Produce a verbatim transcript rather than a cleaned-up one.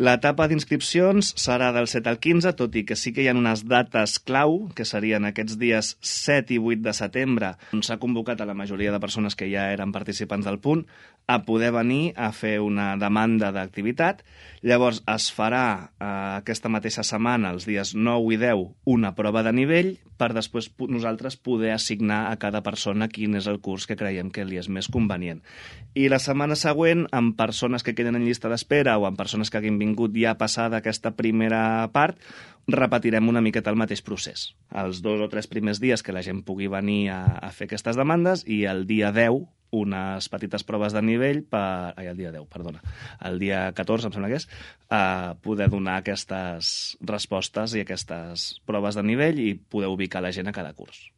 L'etapa d'inscripcions serà del set al quinze, tot i que sí que hi ha unes dates clau, que serien aquests dies set i vuit de setembre, on s'ha convocat a la majoria de persones que ja eren participants del punt a poder venir a fer una demanda d'activitat. Llavors es farà eh, aquesta mateixa setmana, els dies nou i deu, una prova de nivell per després nosaltres poder assignar a cada persona quin és el curs que creiem que li és més convenient. I la setmana següent, amb persones que queden en llista d'espera o amb persones que hagin vingut ja passada aquesta primera part, repetirem una miqueta el mateix procés. Els dos o tres primers dies que la gent pugui venir a, a fer aquestes demandes i el dia deu unes petites proves de nivell per... Ai, el dia deu, perdona. El dia catorze, em sembla que és, a poder donar aquestes respostes i aquestes proves de nivell i poder ubicar la gent a cada curs.